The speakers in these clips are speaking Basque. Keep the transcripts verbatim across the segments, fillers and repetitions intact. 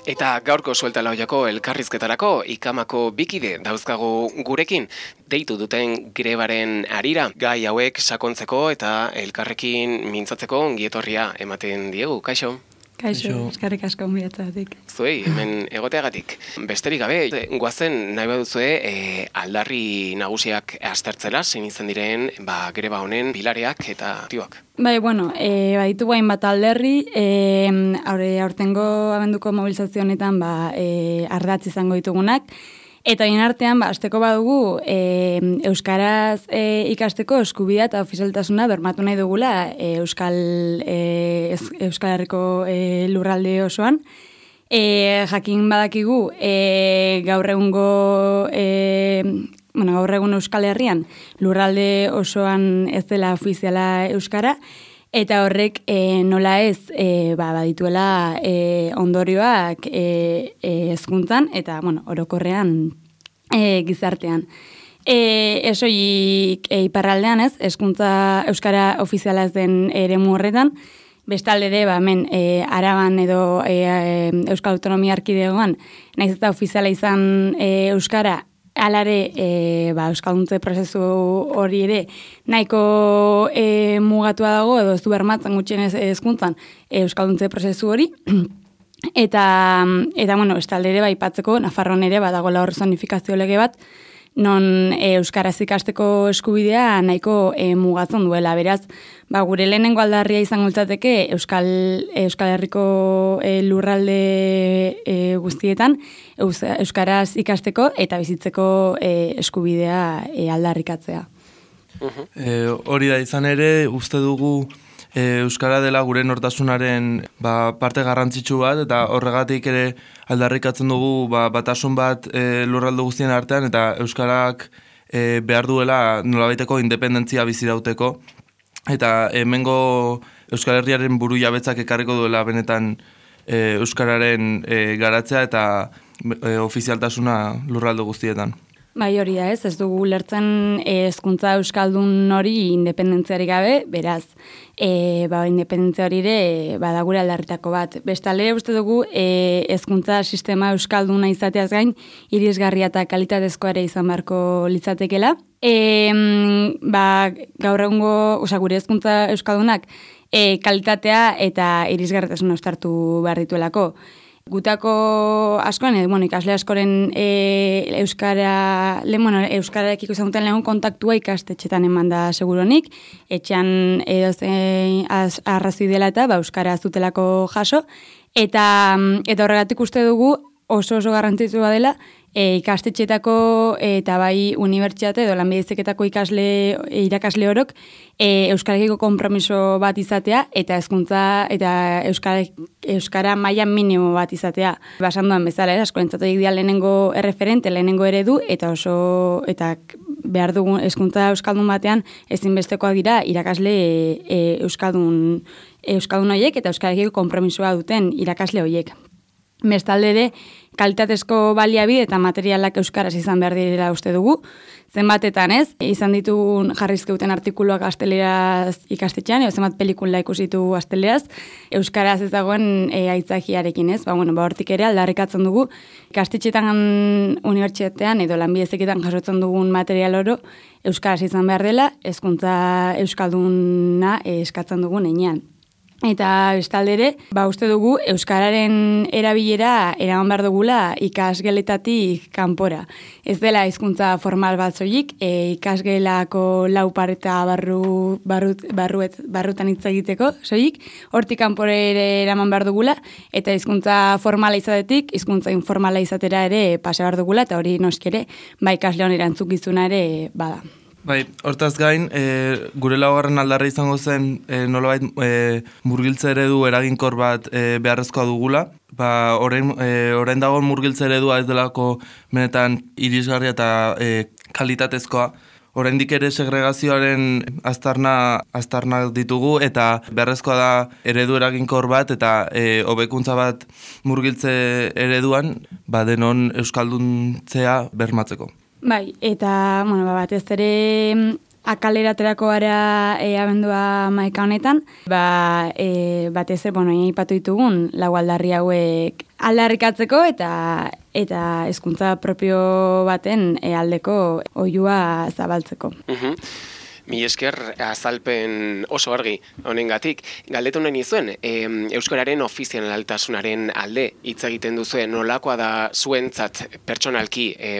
Eta gaurko suelta laoiako elkarrizketarako ikamako bikide dauzkago gurekin, deitu duten grebaren harira, gai hauek sakontzeko eta elkarrekin mintzatzeko ongietorria ematen diegu. Kaixo? Kaixo, eskarrik asko onbiatzatik. Zuei, hemen egoteagatik. Besterik gabe, goazen nahi baduzue e, aldarri nagusiak aztertzela, zein izan diren ba, greba honen bilareak eta tioak. Bai, bueno, e, baditu guain bat alderri, e, aurre, aurtengo abenduko mobilizazio honetan ba, e, ardatz izango ditugunak, eta hien artean, ba, azteko badugu, e, euskaraz e, ikasteko eskubidea eta ofizialtasuna bermatu nahi dugula e, Euskal, e, Euskal Herriko e, lurralde osoan. E, jakin badakigu, e, gaur egungo, e, bueno, gaur egun Euskal Herrian lurralde osoan ez dela ofiziala euskara, eta horrek e, nola ez e, ba, badituela e, ondorioak e, e, hezkuntzan eta bueno, orokorrean e, gizartean. E, esoik e, iparraldean ez, hezkuntza euskara ofiziala ez den eremu horretan, bestalde ere, ba, hemen, e, Araban edo e, e, Euskal Autonomia Erkidegoan, naiz eta ofiziala izan e, euskara, alare, e, ba, euskalduntze prozesu hori ere nahiko e, mugatua dago, edo ez du bermatzen gutxienez hezkuntzan e, euskalduntze prozesu hori. Eta, eta bueno, estalde ere, ba, ipatzeko, Nafarroan ere, badagoela hor zonifikazio lege bat, non e, euskaraz ikasteko eskubidea nahiko e, mugatzen duela. Beraz, ba, gure lehenengo aldarria izango litzateke Euskal, Euskal Herriko e, lurralde e, guztietan eus, euskaraz ikasteko eta bizitzeko e, eskubidea e, aldarrikatzea. Uh-huh. E, hori da izan ere, uste dugu e, euskara dela gure nortasunaren ba, parte garrantzitsu bat, eta horregatik ere aldarrikatzen dugu ba, batasun bat e, lurralde guztien artean, eta euskarak e, behar duela nolabaiteko independentzia bizirauteko, eta hemengo Euskal Herriaren buru jabetzak ekarriko duela benetan e, euskararen e, garatzea eta e, ofizialtasuna lurralde guztietan. Bai, hori da ez, ez dugu lertzen hezkuntza euskaldun hori independentziari gabe, beraz, e, ba, independentzia hori ere badagure aldarritako bat. Bestalde uste dugu hezkuntza e, sistema euskalduna izateaz gain, irisgarria eta kalitatezkoa ere izan beharko litzatekela. E, ba, gaur egungo, oza, gure hezkuntza euskaldunak e, kalitatea eta irisgarritasuna uztartu behar dituelako. Gutako askoan, edo, bueno, ikasle askoren e, euskara, le, bueno, euskararekiko izan duten lehun kontaktua ikastetxetan eman da seguronik, etxean edo zein arrazoi dela eta ba, euskara zutelako jaso, eta, eta horregatik uste dugu oso oso garrantzitsua dela e, ikastetxetako eta bai unibertsitate edo lanbide heziketako ikasle irakasle orok e, euskarekiko konpromiso bat izatea eta hezkuntza eta euskara, euskara maila minimo bat izatea. Basanduan bezala, askorentzatoik dira lehenengo erreferente, lehenengo eredu eta oso eta behar dugun hezkuntza euskaldun batean ezinbestekoak dira irakasle e, e, euskaldun euskaldun horiek eta euskarekiko konpromisoa duten irakasle horiek. Bestalde ere, kalitatezko baliabide eta materialak euskaraz izan behar direla uste dugu. Zenbatetan ez, izan ditugun jarrizkeuten artikuluak gazteleraz ikastetxean, edo zenbat pelikula ikusitu gazteleraz, euskaraz ez dagoen e, aitzakiarekin ez. Ba, bueno, ba, hortik ere aldarrikatzen dugu, ikastetxetan unibertsitatean edo lanbide heziketan jasotzen dugun material oro, euskaraz izan behar dela, hezkuntza euskalduna e, eskatzen dugun heinean. Eta bestalde ere, ba, uste dugu euskararen erabilera eraman behar dugula ikasgeletatik kanpora. Ez dela hizkuntza formal bat zoik, e, ikasgelako lau pareta barru, barrut, barruet, barrutan hitz egiteko zoik, hortik kanpora ere eraman behar dugula, eta hizkuntza formala izatetik, hizkuntza informala izatera ere pasa behar dugula, eta hori noski ere, ba, ikasle hon erantzukizuna ere bada. Bai, hortaz gain, e, gure laugarren aldarra izango zen e, nolabait e, murgiltze eredu eraginkor bat e, beharrezkoa dugula. Ba, orain, e, orain dagoen murgiltze eredua ez delako benetan irisgarria eta e, kalitatezkoa. Oraindik ere segregazioaren aztarna, aztarna ditugu eta beharrezkoa da eredu eraginkor bat eta e, hobekuntza bat murgiltze ereduan ba, denon euskalduntzea bermatzeko. Bai, eta, bueno, batez ere akaleraterako gara e, abendua maika honetan, ba, e, batez ere, bueno, aipatu ditugun, lau aldarri hauek aldarrikatzeko eta eta hezkuntza propio baten e, aldeko oihua zabaltzeko. Mhm. Mi esker azalpen oso argi honengatik. Galdetu nahi nizuen, e, euskararen ofizialaltasunaren alde hitz egiten duzue, nolakoa da zuentzat pertsonalki e,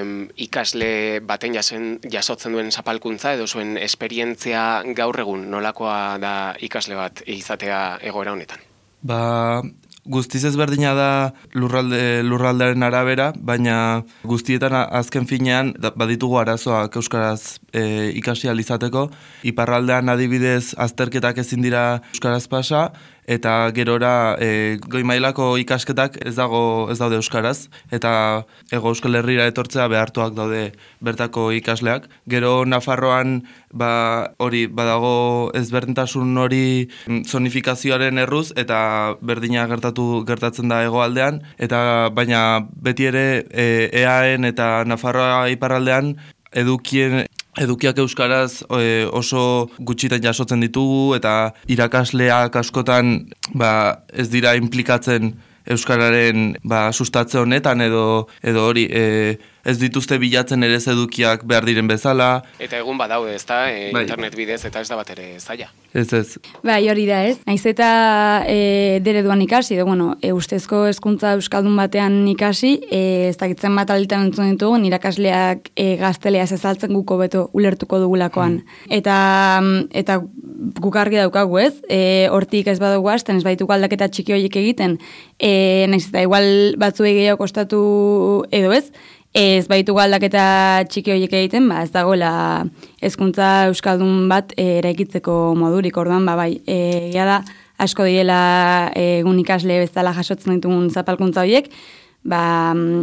ikasle baten jasen, jasotzen duen zapalkuntza edo zuen esperientzia gaur egun nolakoa da ikasle bat izatea egoera honetan? Ba, guztiz ezberdina da lurralde, lurraldearen arabera, baina guztietan azken finean da, baditugu arazoak euskaraz e, ikasi ahal izateko. Iparraldean adibidez azterketak ezin dira euskaraz pasa, eta gerora e, goi mailako ikasketak ez dago ez daude euskaraz, eta Hego Euskal Herrira etortzea behartuak daude bertako ikasleak. Gero Nafarroan ba hori badago ezberdintasun hori zonifikazioaren erruz eta berdina gertatu gertatzen da hegoaldean, eta baina beti ere e, eaen eta Nafarroa iparraldean edukien Edukiak euskaraz e, oso gutxitan jasotzen ditugu eta irakasleak askotan ba, ez dira implikatzen euskararen ba, sustatze honetan edo edo hori e, ez dituzte bilatzen ere edukiak behar diren bezala. Eta egun badaude, ezta, e, bai. internet bidez eta ez da bat ere zaila. Ez ez. Bai, hori da ez. Naiz eta e, dereduan ikasi, edo, bueno, e, ustezko hezkuntza euskaldun batean ikasi, e, ez dakitzen bat alditan entzun ditugu, irakasleak e, gazteleaz ezaltzen guko beto ulertuko dugulakoan. Mm. Eta, eta guk argi daukagu ez, e, hortik ez badugu hasten, ez baituko aldaketa txiki horiek egiten, e, naiz eta igual batzuei gehiago kostatu edo ez, ez baitu aldaketa txiki horiek egiten, ba, ez dagoela hezkuntza euskaldun bat e, eraikitzeko modurik, orduan, ba, bai, egia da, asko diela egun ikasle bezala jasotzen ditugun zapalkuntza horiek, ba,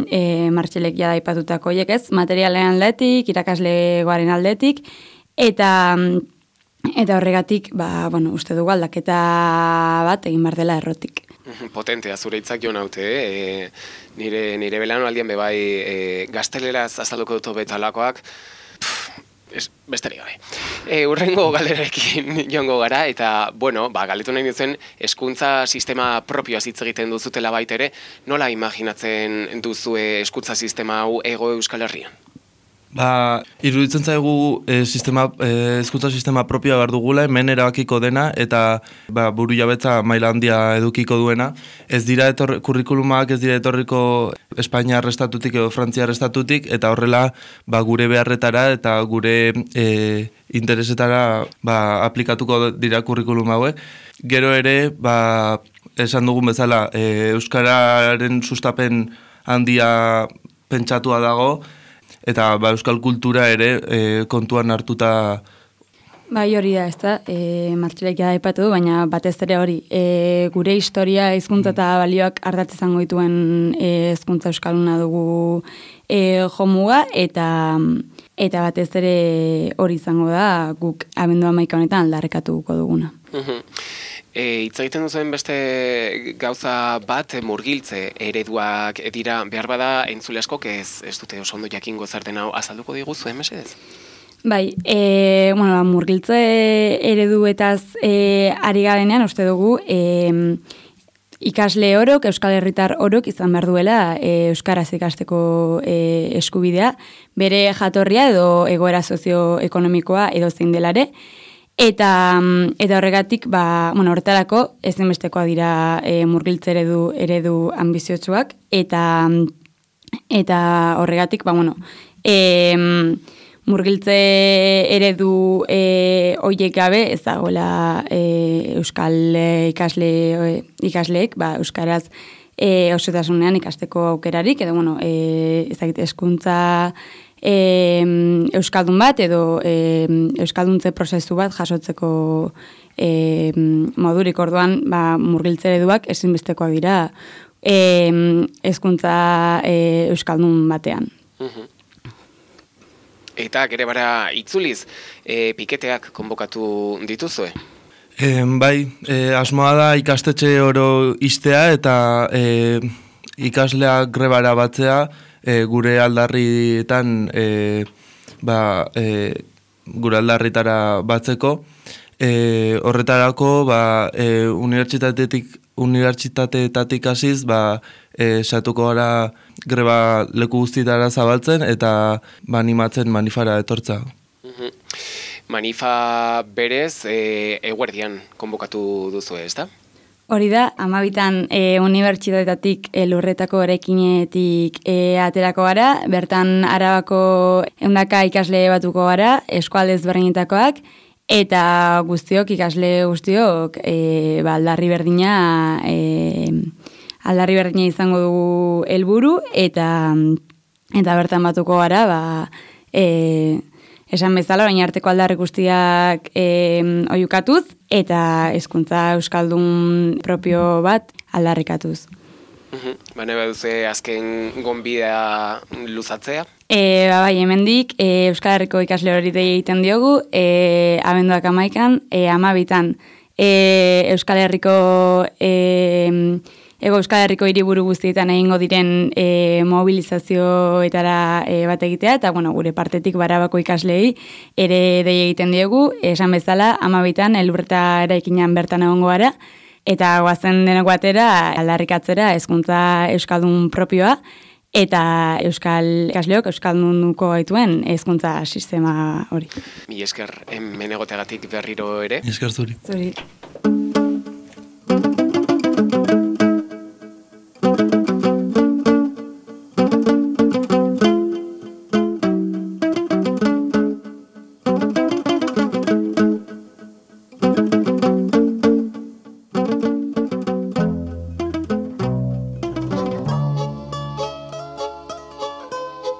e, Martxelek jada aipatutako horiek ez, materialen aldetik, irakaslegoaren aldetik, eta eta horregatik, ba, bueno, uste dugu aldaketa bat egin behar dela errotik. Potentea, zure hitzak jo naute, e, nire, nire belano aldian bebai e, gazteleraz azalduko dut betalakoak, besterik gabe. E, urrengo galderekin joango gara, eta, bueno, ba, galdetu nahi duzen, hezkuntza sistema propioaz hitz egiten duzutela baitere, nola imaginatzen duzue hezkuntza sistema hau Hego Euskal Herrian? Ba, iruditzen zaigu e, sistema, e, hezkuntza sistema propioa behar dugula, hemen erabakiko dena, eta ba, buru jabetza maila handia edukiko duena. Ez dira etorri, kurrikulumak ez dira etorriko Espainiar estatutik edo Frantziar estatutik, eta horrela ba, gure beharretara eta gure e, interesetara ba, aplikatuko dira kurrikulum hauek. Gero ere, ba, esan dugun bezala, e, euskararen sustapen handia pentsatua dago, eta ba, euskal kultura ere e, kontuan hartuta. Bai, hori da, ez da, e, Martxelek jada aipatu du, baina batez ere hori, e, gure historia, hizkuntza eta balioak ardatz izango dituen e, hezkuntza euskalduna dugu e, jomuga, eta eta batez ere hori izango da, guk abendu hamaika honetan aldarrekatuko duguna. E, hitz egiten duzuen beste gauza bat murgiltze ereduak dira, behar bada entzule askok ez, ez dute oso ondo jakingo zer den hau azalduko diguzu, mesedez? Bai, e, bueno, murgiltze ereduetaz e, ari garenean, uste dugu, e, ikasle orok, euskal herritar orok izan behar duela e, euskaraz ikasteko e, eskubidea, bere jatorria edo egoera sozioekonomikoa edo zein delare, Eta, eta horregatik, ba, bueno, horretarako ezinbestekoa dira e, murgiltze eredu, eredu ambiziotsuak, eta, eta horregatik, ba, bueno, e, murgiltze eredu e, oiek gabe, ez dagoela e, euskal ikasle, ikasleek, ba, euskaraz e, osotasunean ikasteko aukerarik, edo, bueno, e, ezagite, hezkuntza E, euskaldun bat edo e, euskalduntze prozesu bat jasotzeko e, modurik, orduan ba, murgiltze ereduak ezinbestekoak dira e, hezkuntza e, euskaldun batean. Eta gere bara itzuliz, e, piketeak konbokatu dituzue? E, bai, e, asmoa da ikastetxe oro istea eta e, ikasleak grebara batzea, E, gure aldarrietan e, ba, e, gure aldarritara batzeko. E, horretarako ba, e, unibertsitatetik unibertsitateetatik hasiz ba, e, satuko gara greba leku guztietara zabaltzen eta ba, animatzen manifara etortza. Manifa berez e, eguerdian konbokatu duzu, ez da? Hori da, amabitan e, unibertsitateetatik e, lurretako erekinetik e, aterako gara, bertan Arabako ehundaka ikasle batuko gara, eskualde ezberdinetakoak, eta guztiok, ikasle guztiok, e, ba, aldarri berdina, e, aldarri berdina izango dugu helburu eta eta bertan batuko gara, ba, e, esan bezala, orain arteko aldarri guztiak e, oiukatuz, eta hezkuntza euskaldun propio bat aldarrikatuz. Uhum. Bane baduze azken gonbidea luzatzea? E, ba, bai, hemendik e, Euskal Herriko ikasle hori dei egiten diogu, e, abenduak amaikan, e, amabitan e, Euskal Herriko e, Ego Euskal Herriko hiriburu guztietan egingo diren e, mobilizazioetara e, bat egitea, eta bueno, gure partetik Barabako ikaslei ere dei egiten diogu, esan bezala, amabitan elurreta eraikinan bertan egongo gara, eta goazen denok batera aldarrikatzera hezkuntza euskaldun propioa, eta euskal ikasleok euskaldunuko gaituen hezkuntza sistema hori. Mi esker hemen egoteagatik berriro ere. Esker zuri. Zuri.